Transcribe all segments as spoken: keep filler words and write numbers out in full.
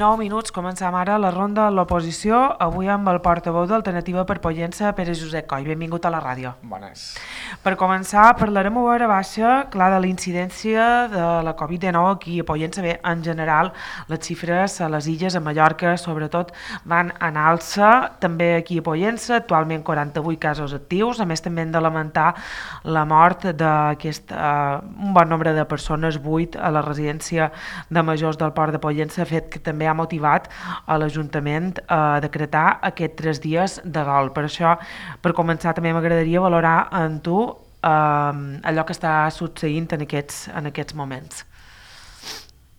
dinou minuts, començam ara la ronda de l'oposició, avui amb el portaveu d'Alternativa per Pollença, Pere Josep Coll. Benvingut a la ràdio. Bones. Per començar, parlarem a veure baixa, clar, de la incidència de la covid dinou aquí a Pollença. Bé, en general, les xifres a les illes, a Mallorca, sobretot, van en alça, també aquí a Pollença, actualment quaranta-vuit casos actius, a més també hem de lamentar la mort d'aquest uh, un bon nombre de persones, vuit, a la residència de majors del Port de Pollença, fet que també ha motivat a l'Ajuntament a decretar aquests tres dies de dol. Per això, per començar, també m'agradaria valorar en tu eh, allò que està succeint en aquests, en aquests moments.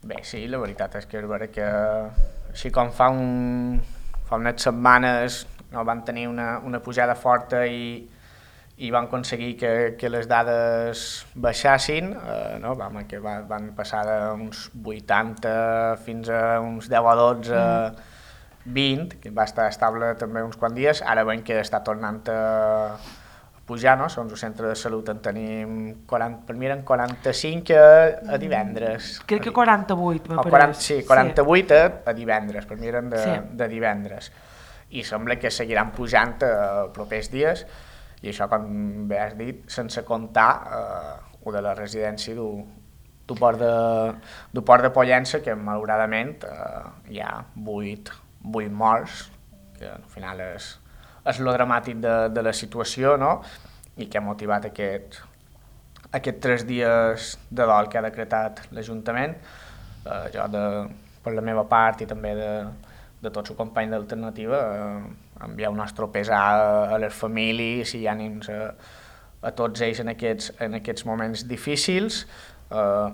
Bé, sí, la veritat és que és vera que així com fa, un, fa unes setmanes no, van tenir una, una pujada forta i i van aconseguir que, que les dades baixassin, eh, no? Vam, que va, van passar d'uns vuitanta fins a uns deu o dotze, mm. vint, que va estar estable també uns quants dies, ara veiem que està tornant a pujar, no? Segons el centre de salut en tenim, quaranta, per mi eren quaranta-cinc a, a divendres. Crec que quaranta-vuit, me pareix. Sí, quaranta-vuit sí. a, a divendres, per mi eren de, sí. de divendres. I sembla que seguiran pujant els propers dies, i això, com bé has dit, sense comptar eh, o de la residència du, du, port de, du Port de Pollença, que malauradament eh, hi ha vuit, vuit morts, que al final és, és lo dramàtic de, de la situació, no? I que ha motivat aquest, aquests tres dies de dol que ha decretat l'Ajuntament. Eh, jo, de, per la meva part i també de, de tots els companys d'Alternativa, eh, enviar un nostre pesar a, a les famílies i ànims a, a tots ells en aquests, en aquests moments difícils. Eh,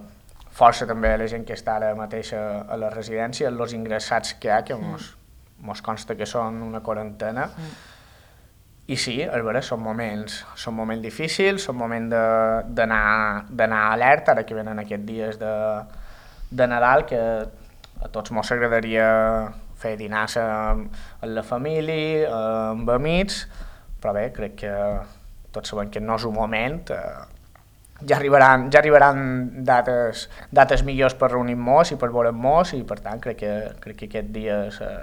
força també a la gent que està ara mateix a, a la residència, els ingressats que hi ha, que mos, mos consta que són una quarantena. Mm. I sí, és vera, són moments, són moments difícils, són moments d'anar alerta, ara que venen aquests dies de, de Nadal, que a tots mos agradaria fer dinars amb, amb la família, amb amics, però bé, crec que tots sabem que no és un moment, eh, ja arribaran, ja arribaran dates, dates millors per reunir-nos i per veure'ns, i per tant crec que, crec que aquests dies eh,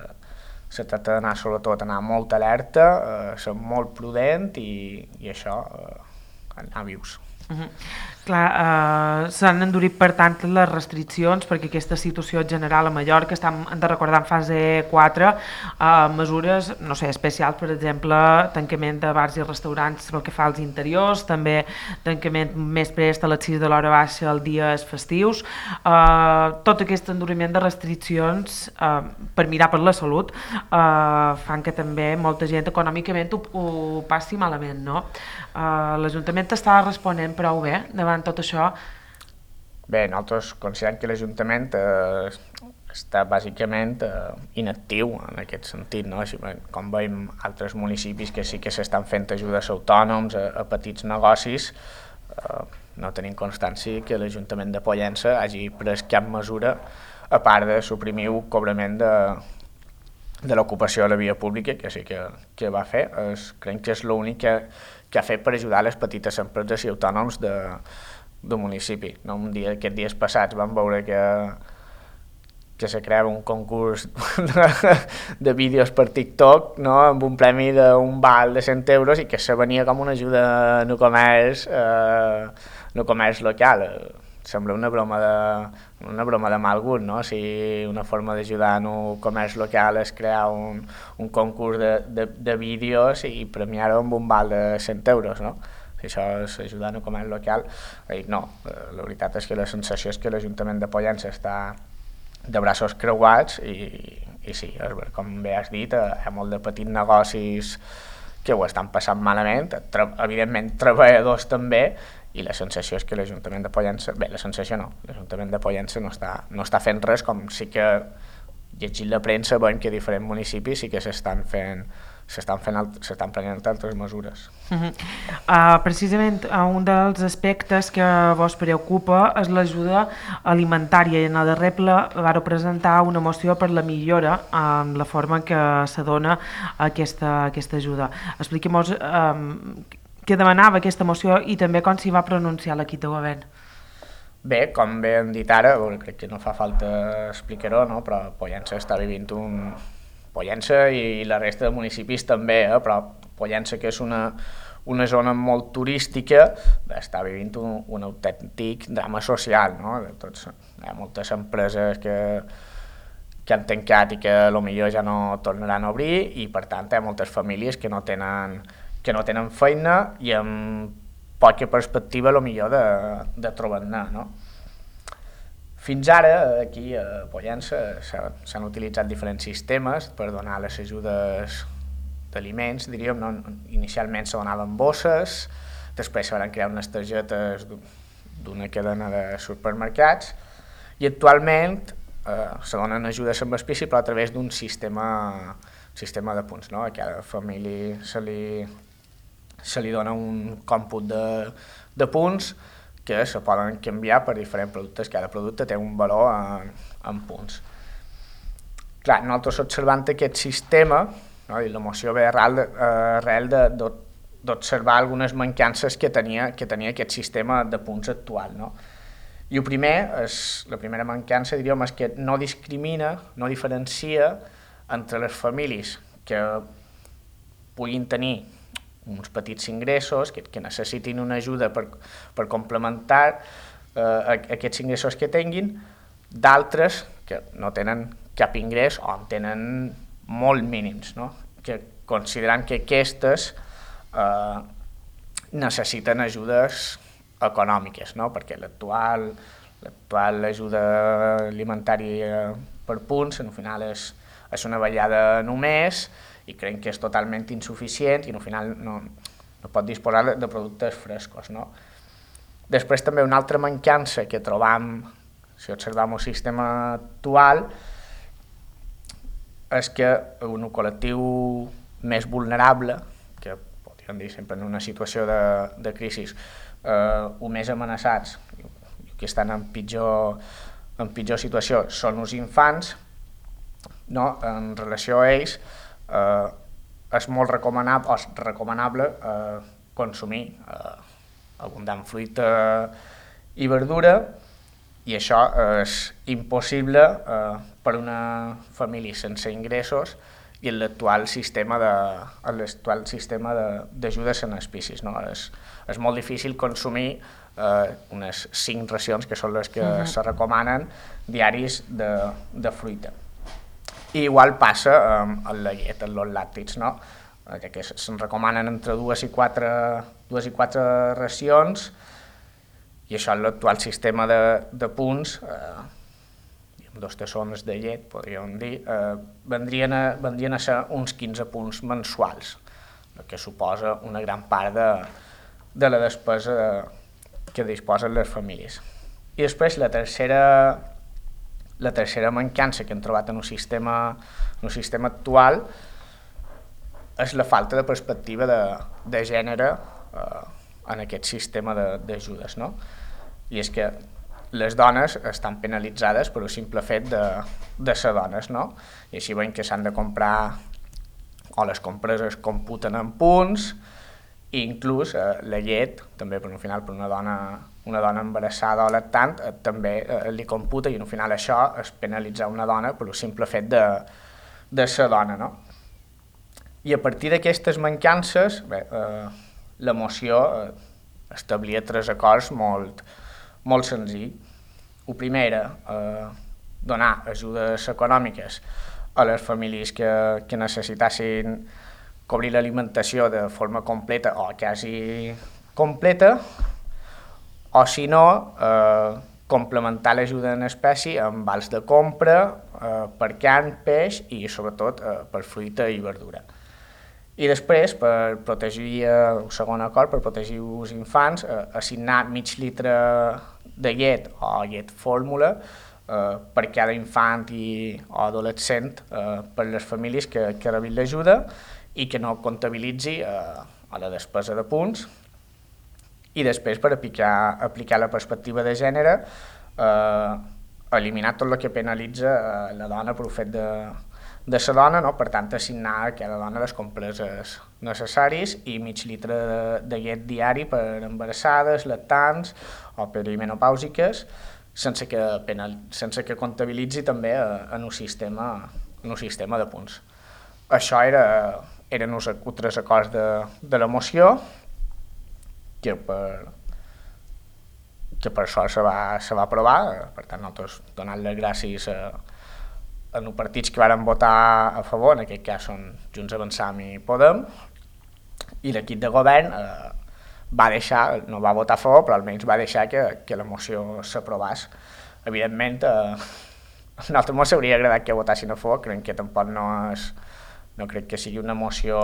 se tracta d'anar sobretot anar molt alerta, eh, ser molt prudent i, i això, eh, anar vius. Uh-huh. Clar, eh, s'han endurit per tant les restriccions perquè aquesta situació general a Mallorca està, hem de recordar, en fase quatre, eh, mesures, no sé, especials, per exemple, tancament de bars i restaurants pel que fa als interiors, també tancament més prest a les sis de l'hora baixa els dies festius, eh, tot aquest enduriment de restriccions eh, per mirar per la salut eh, fan que també molta gent econòmicament ho, ho passi malament, no? Eh, L'Ajuntament està responent prou bé davant tot això? Bé, nosaltres considerem que l'Ajuntament eh, està bàsicament eh, inactiu en aquest sentit, no? Així, com veiem altres municipis que sí que s'estan fent ajudes a autònoms, a, a petits negocis, eh, no tenim constància que l'Ajuntament de Pollença hagi pres cap mesura a part de suprimir el cobrament de, de l'ocupació a la via pública, que sí que, que va fer. Es, crec que és l'únic que, que ha fet per ajudar les petites empreses i autònoms de, del municipi. No? Un dia, aquests dies passats vam veure que, que se creava un concurs de, de vídeos per TikTok, no? Amb un premi d'un val de cent euros i que se venia com una ajuda en el comerç, eh, en el comerç local. Sembla una broma de, una broma de mal gust, no? Si una forma d'ajudar en el comerç local és crear un, un concurs de, de, de vídeos i premiar-ho amb un val de cent euros, no? Si això és ajudar en el comerç local, eh, no. La veritat és que la sensació és que l'Ajuntament de Pollença està de braços creuats i, i sí, com bé has dit, hi ha molt de petits negocis que ho estan passant malament, tra evidentment treballadors també, i la sensació és que l'Ajuntament de Pollença, bé, la sensació no, l'Ajuntament de Pollença no està, no està fent res, com sí que llegint la premsa veiem que diferents municipis sí que s'estan fent, s'estan fent, s'estan prenent altres mesures. Uh-huh. uh, precisament uh, un dels aspectes que vos preocupa és l'ajuda alimentària, i en el darrer ple vau presentar una moció per la millora en la forma en què se dona aquesta, aquesta ajuda. Expliquem-nos um, què demanava aquesta moció i també com s'hi va pronunciar l'equip de govern. Bé, com bé hem dit ara, bueno, crec que no fa falta explicar-ho, no? Però Pollença està vivint un... Pollença i la resta de municipis també, eh? Però Pollença, que és una, una zona molt turística, bé, està vivint un, un autèntic drama social, no? De tots, hi ha moltes empreses que, que han tancat i que potser ja no tornaran a obrir, i per tant hi ha moltes famílies que no tenen, que no tenen feina i amb poca perspectiva potser de, de trobar-ne, no? Fins ara, aquí a Pollença, s'han utilitzat diferents sistemes per donar les ajudes d'aliments, diríem, no? Inicialment se donaven bosses, després se van crear unes targetes d'una cadena de supermercats, i actualment eh, se donen ajudes amb espècie però a través d'un sistema, sistema de punts, no? A cada família se li, se li dona un còmput de, de punts que se poden canviar per diferents productes. Cada producte té un valor en, en punts. Clar, nosaltres observant aquest sistema, no? I la moció ve arrel, arrel d'observar algunes mancances que tenia, que tenia aquest sistema de punts actual, no? I el primer, és, la primera mancança, diríem, és que no discrimina, no diferencia entre les famílies que puguin tenir uns petits ingressos, que, que necessitin una ajuda per, per complementar eh, aquests ingressos que tinguin, d'altres que no tenen cap ingrés o en tenen molt mínims, no? Que considerant que aquestes eh, necessiten ajudes econòmiques, no? Perquè l'actual l'actual ajuda alimentària per punts al final és, és una ballada només, i creiem que és totalment insuficient i al final no, no pot disposar de, de productes frescos, no? Després també una altra mancança que trobam si observam el sistema actual és que un col·lectiu més vulnerable, que podríem dir sempre en una situació de, de crisi, eh, o més amenaçats, que estan en pitjor, en pitjor situació, són els infants, no? En relació a ells, Eh, és molt recomanable, és recomanable eh, consumir eh, abundant fruita i verdura, i això és impossible eh, per una família sense ingressos i en l'actual sistema de, en l'actual sistema d'ajudes en espècies, no? És, és molt difícil consumir eh, unes cinc racions, que són les que uh-huh. se recomanen, diaris de, de fruita. I igual passa amb la llet, amb els làctics, no? Que se'n recomanen entre dues i quatre, dues i quatre racions, i això en l'actual sistema de, de punts, eh, dos tassons de llet, podríem dir, eh, vendrien, a, vendrien a ser uns quinze punts mensuals, el que suposa una gran part de, de la despesa que disposen les famílies. I després la tercera... La tercera mancança que hem trobat en el sistema, en el sistema actual és la falta de perspectiva de, de gènere eh, en aquest sistema d'ajudes, no? I és que les dones estan penalitzades per el simple fet de, de ser dones, no? I així veiem que s'han de comprar, o les compres es computen en punts, i inclús eh, la llet, també per un final per una dona una dona embarassada o lactant eh, també eh, li computa, i al final això és penalitzar una dona per el simple fet de, de ser dona, no? I a partir d'aquestes mancances, bé, eh, la moció eh, establia tres acords molt, molt senzills. El primer era eh, donar ajudes econòmiques a les famílies que, que necessitassin cobrir l'alimentació de forma completa o quasi completa, o si no, eh, complementar l'ajuda en espècie amb vals de compra eh, per carn, peix i sobretot eh, per fruita i verdura. I després, per protegir, eh, el segon acord, per protegir els infants, eh, assignar mig litre de llet o llet fórmula eh, per cada infant i, o adolescent eh, per les famílies que, que rebin l'ajuda i que no comptabilitzi eh, a la despesa de punts. I després, per aplicar, aplicar la perspectiva de gènere, eh, eliminar tot el que penalitza eh, la dona per el fet de, de la dona, no? Per tant, assignar a cada dona les compreses necessaris i mig litre de, de llet diari per embarassades, lactants o perimenopàusiques, sense que, penal, sense que comptabilitzi també en un sistema, en un sistema de punts. Això era, eren uns altres acords de, de la moció que per, que per això se va, se va aprovar. Per tant, nosaltres donant les gràcies a, a els partits que varen votar a favor, en aquest cas són Junts Avançam i Podem, i l'equip de govern eh, va deixar, no va votar a favor, però almenys va deixar que, que la moció s'aprovés. Evidentment, eh, a nosaltres ens hauria agradat que votassin a favor, crec que tampoc no és, no crec que sigui una moció,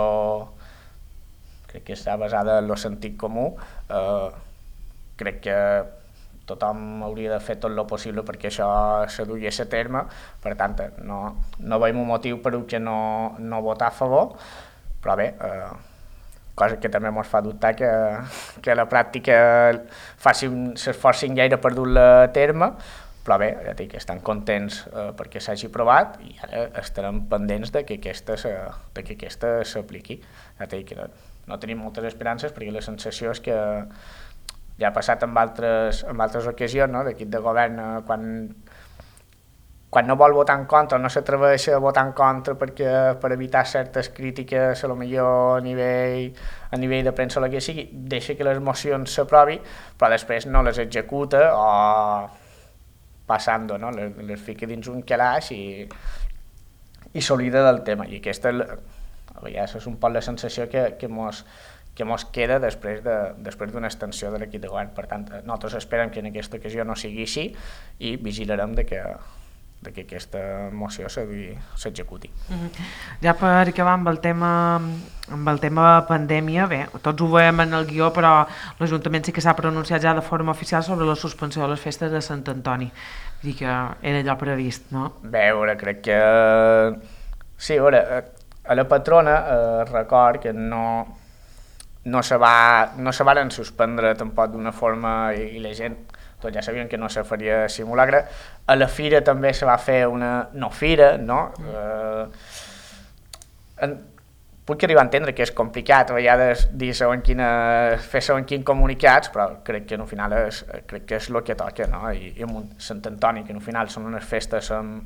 crec que està basada en el sentit comú, eh, crec que tothom hauria de fer tot el possible perquè això se dugués a terme, per tant, no, no veiem un motiu per què no, no votar a favor, però bé, eh, cosa que també ens fa dubtar que, que la pràctica s'esforcin gaire per dur-la a terme, però bé, ja dic, estan contents eh, perquè s'hagi aprovat i ara estarem pendents de que aquesta, de que aquesta s'apliqui. Ja dic, no, no tenim moltes esperances perquè la sensació és que ja ha passat en altres, en altres ocasions, no? L'equip de govern, eh, quan, quan no vol votar en contra, no s'atreveix a votar en contra perquè, per evitar certes crítiques, a lo millor a nivell, a nivell de premsa o el que sigui, deixa que les mocions s'aprovi, però després no les executa o passant-ho, no? les, les fica dins un calaix i, i s'oblida del tema. I aquesta és un poc la sensació que, que mos que mos queda després de, després d'una extensió de l'equip de govern. Per tant, nosaltres esperem que en aquesta ocasió no sigui així i vigilarem de que, de que aquesta moció s'executi. Mm-hmm. Ja per acabar amb el tema amb el tema pandèmia, bé, tots ho veiem en el guió, però l'Ajuntament sí que s'ha pronunciat ja de forma oficial sobre la suspensió de les festes de Sant Antoni. Vull dir que era allò previst, no? Bé, veure, crec que... Sí, a veure, a la patrona eh, record que no... no se, va, no se varen suspendre tampoc d'una forma i, i la gent, tots ja sabien que no se faria simulacre. A la fira també se va fer una no fira, no? Eh, en, puc arribar a entendre que és complicat a vegades dir segons quina, fer segons quins comunicats, però crec que al final és, crec que és el que toca, no? I, i amb Sant Antoni, que al final són unes festes amb,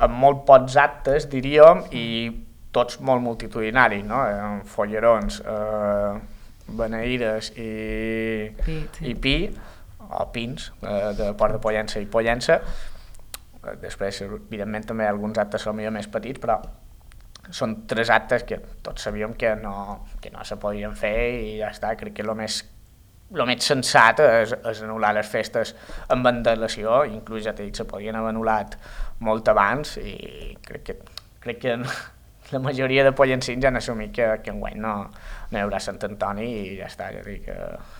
amb molt pocs actes, diríem, i tots molt multitudinaris, no? Amb follerons, eh, beneïdes i, pi, sí. i pi, o pins, eh, de Port de Pollença i Pollença. Després, evidentment, també alguns actes són millor més petits, però són tres actes que tots sabíem que no, que no se podien fer i ja està. Crec que el més, el més sensat és, és anul·lar les festes amb antelació, inclús ja t'he dit, se podien haver anul·lat molt abans i crec que, crec que la majoria de pollencins ja han assumit que, que enguany no, no hi haurà Sant Antoni i ja està, ja dic,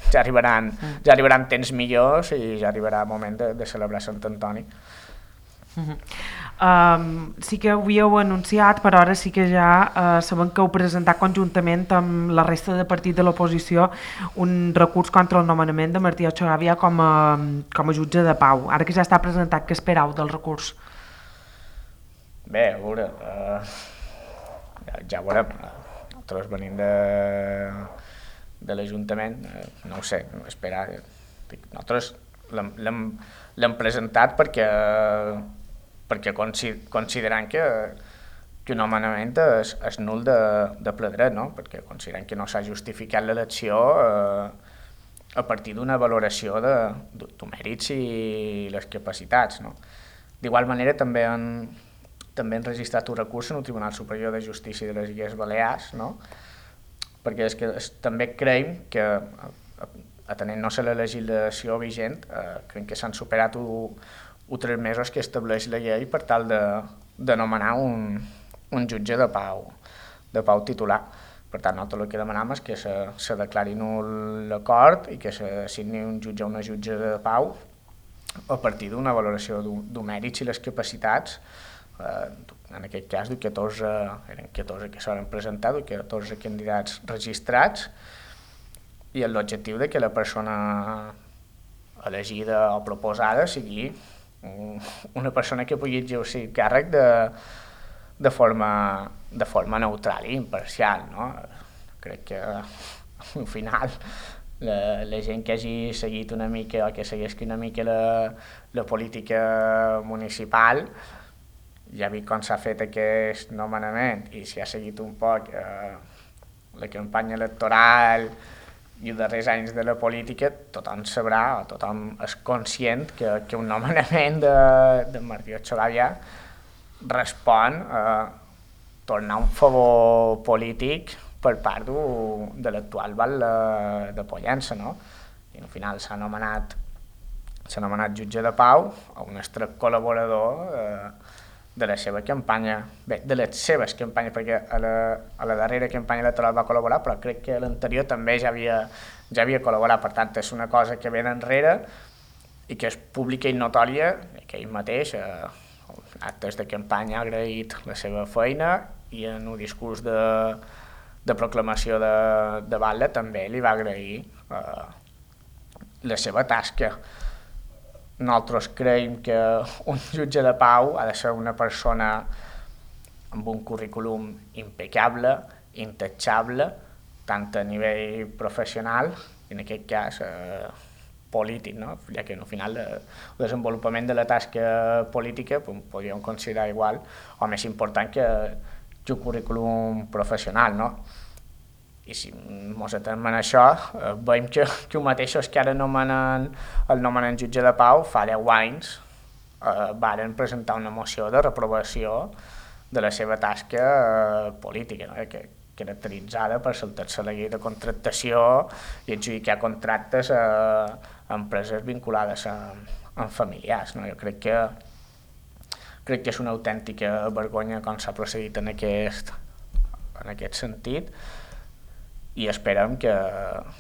ja arribaran, ja arribaran temps millors i ja arribarà el moment de, de celebrar Sant Antoni. Uh-huh. Um, sí que ho havíeu anunciat, però ara sí que ja uh, sabem que heu presentat conjuntament amb la resta de partit de l'oposició un recurs contra el nomenament de Martí Ochagavia com a, com a jutge de pau. Ara que ja està presentat, què esperau del recurs? Bé, a veure... Uh... Ja, ja veurem, nosaltres venim de, de l'Ajuntament, no ho sé, esperar, nosaltres l'hem presentat perquè, perquè considerant que, que un nomenament és, és nul de, de ple dret, no? Perquè considerant que no s'ha justificat l'elecció eh, a partir d'una valoració de, de, de mèrits i les capacitats, no? D'igual manera també en també han registrat un recurs en el Tribunal Superior de Justícia de les Illes Balears, no? Perquè és que és, també creiem que, atenent-nos a la legislació vigent, eh, creiem que s'han superat els tres mesos que estableix la llei per tal de, de nomenar un, un jutge de pau, de pau titular. Per tant, nosaltres el que demanem és que se, se declari nul l'acord i que s'assigni un jutge o una jutge de pau a partir d'una valoració dels mèrits i les capacitats. Uh, en aquest cas, catorze, eren catorze que s'han presentat, catorze candidats registrats, i l'objectiu de que la persona elegida o proposada sigui un, una persona que pugui exercir càrrec de, de forma, de forma neutral i imparcial, no? Crec que al final la, la gent que hagi seguit una mica o que segueixi una mica la, la política municipal ja ha vist com s'ha fet aquest nomenament i si ha seguit un poc eh, la campanya electoral i els darrers anys de la política, tothom sabrà o tothom és conscient que, que un nomenament de, de Martí Ochagavia respon a tornar un favor polític per part de l'actual val de Pollença, no? I al final s'ha nomenat s'ha nomenat jutge de pau a un estret col·laborador eh, de la seva campanya, bé, de les seves campanyes, perquè a la, a la darrera campanya electoral va col·laborar, però crec que l'anterior també ja havia, ja havia col·laborat, per tant és una cosa que ve d'enrere i que és pública i notòria, que ell mateix, eh, actes de campanya, ha agraït la seva feina i en un discurs de, de proclamació de, de Batlle també li va agrair eh, la seva tasca. Nosaltres creiem que un jutge de pau ha de ser una persona amb un currículum impecable, intachable, tant a nivell professional i en aquest cas eh, polític, no? Ja que al final el desenvolupament de la tasca política pues, podríem considerar igual o més important que, que el currículum professional, no? I si ens atenem en això, eh, veiem que, que els mateixos que ara nomenen el nomenen jutge de pau fa deu anys eh, varen presentar una moció de reprovació de la seva tasca eh, política, no? que, caracteritzada per saltar-se la llei de contractació i adjudicar contractes a, a empreses vinculades a, a familiars. No? Jo crec que, crec que és una autèntica vergonya com s'ha procedit en aquest, en aquest sentit. I esperem que,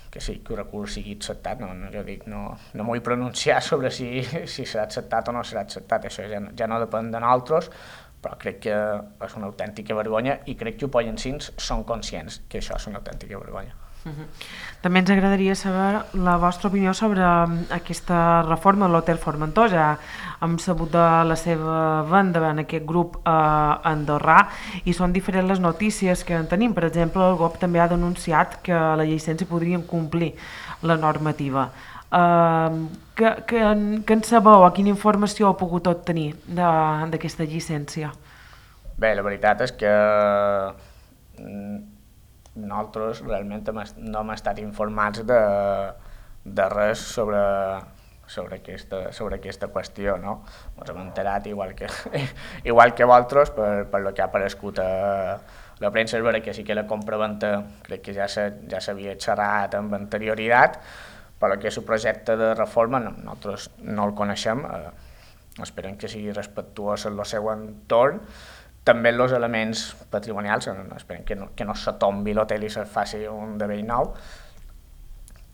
que sí, que el recurs sigui acceptat. No, no, jo dic, no, no m'ho vull pronunciar sobre si, si serà acceptat o no serà acceptat, això ja, ja no depèn de nosaltres, però crec que és una autèntica vergonya i crec que els pollensins són conscients que això és una autèntica vergonya. Uh-huh. També ens agradaria saber la vostra opinió sobre aquesta reforma de l'Hotel Formentor. Ja hem sabut de la seva venda en aquest grup eh, andorrà i són diferents les notícies que en tenim. Per exemple, el G O P també ha denunciat que la llicència podrien complir la normativa. Eh, que, que, que en sabeu o quina informació heu pogut obtenir d'aquesta llicència? Bé, la veritat és que nosaltres realment no hem estat informats de, de res sobre, sobre, aquesta, sobre aquesta qüestió, no? Ens hem enterat igual que, igual que vosaltres per, per lo que ha aparegut a la premsa. És vera que sí que la compraventa crec que ja s'havia ja xerrat amb anterioritat, però que és el projecte de reforma no, nosaltres no el coneixem, eh, esperem que sigui respectuós en el seu entorn. També els elements patrimonials, esperem que no, que no se tombi l'hotel i se faci un de vell nou.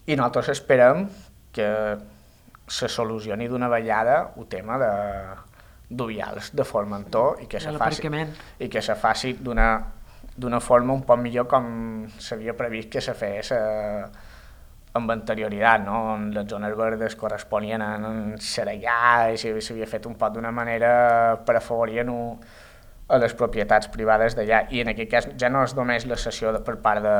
I nosaltres esperem que se solucioni d'una vegada el tema de d'Uvials, de Formentor, i que se faci, i que se faci d'una d'una forma un poc millor com s'havia previst que se fes eh, amb anterioritat, no? On les zones verdes corresponien a Xerellà i s'havia fet un poc d'una manera per afavorir a les propietats privades d'allà, i en aquest cas ja no és només la cessió de, per part de,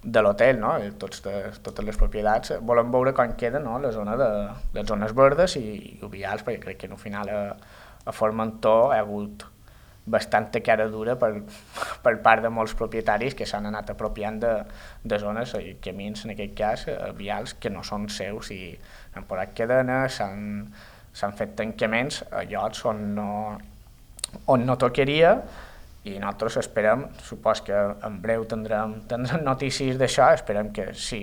de l'hotel, no? Tots de, totes les propietats, volem veure com queda, no? La zona de les zones verdes i, i vials, perquè crec que al final a, a Formentor hi ha hagut bastanta cara dura per, per part de molts propietaris que s'han anat apropiant de, de zones i camins, en aquest cas, vials que no són seus, i han posat cadenes, s'han fet tancaments a llocs on no on no tocaria, i nosaltres esperem, supos que en breu tindrem, tindrem notícies d'això, esperem que si,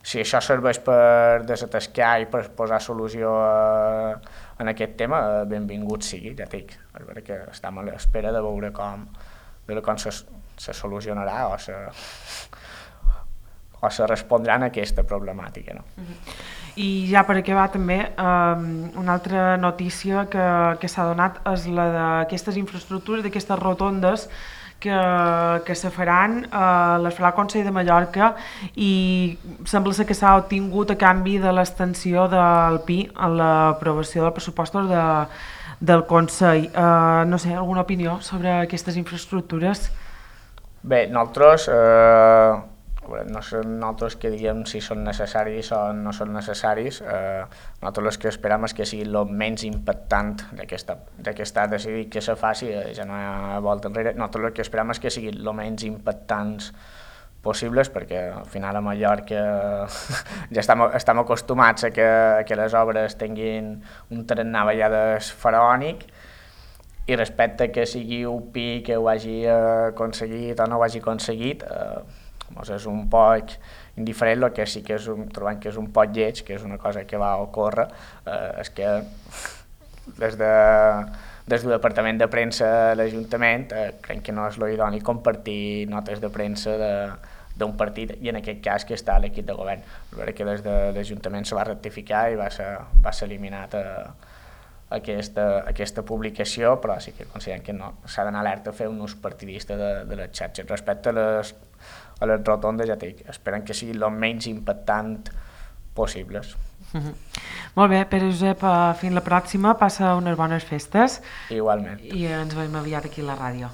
si això serveix per desatascar i per posar solució a, en aquest tema, benvingut sigui, ja dic, és vera que estem a l'espera de veure com, de com se, se solucionarà o se, o se respondrà a aquesta problemàtica, no? Uh-huh. I ja per acabar també, um, una altra notícia que, que s'ha donat és la d'aquestes infraestructures, d'aquestes rotondes que, que se faran, uh, les farà el Consell de Mallorca, i sembla ser que s'ha obtingut a canvi de l'extensió del Pi en l'aprovació dels pressupostos de, del Consell. Uh, no sé, alguna opinió sobre aquestes infraestructures? Bé, nosaltres, eh, no són nosaltres que diguem si són necessaris o no són necessaris, eh, nosaltres el que esperem és que sigui el menys impactant d'aquesta ha decidit que se faci, eh, ja no hi ha volta enrere, nosaltres el que esperem és que siguin el menys impactants possibles, perquè al final a Mallorca ja estem, estem acostumats a que, a que les obres tinguin un tarannà a vegades faraònic, i respecte que sigui U P I que ho hagi aconseguit o no ho hagi aconseguit, eh, és un poc indiferent. El que sí que és un, trobem que és un poc lleig, que és una cosa que va ocórrer, eh, és que des, de, des del departament de premsa de l'Ajuntament eh, crec que no és l'idoni compartir notes de premsa de, d'un partit, i en aquest cas que està a l'equip de govern. Veure que des de l'Ajuntament se va rectificar i va ser, va ser eliminat a, Aquesta, aquesta publicació, però sí que considerem que no s'ha d'anar alerta a fer un ús partidista de, de les xarxes. Respecte a les, a les rotondes, ja dic, esperen que siguin el menys impactant possibles. Mm-hmm. Molt bé, Pere Josep, fins la pròxima, passa unes bones festes. Igualment. I ens veiem aviat aquí a la ràdio.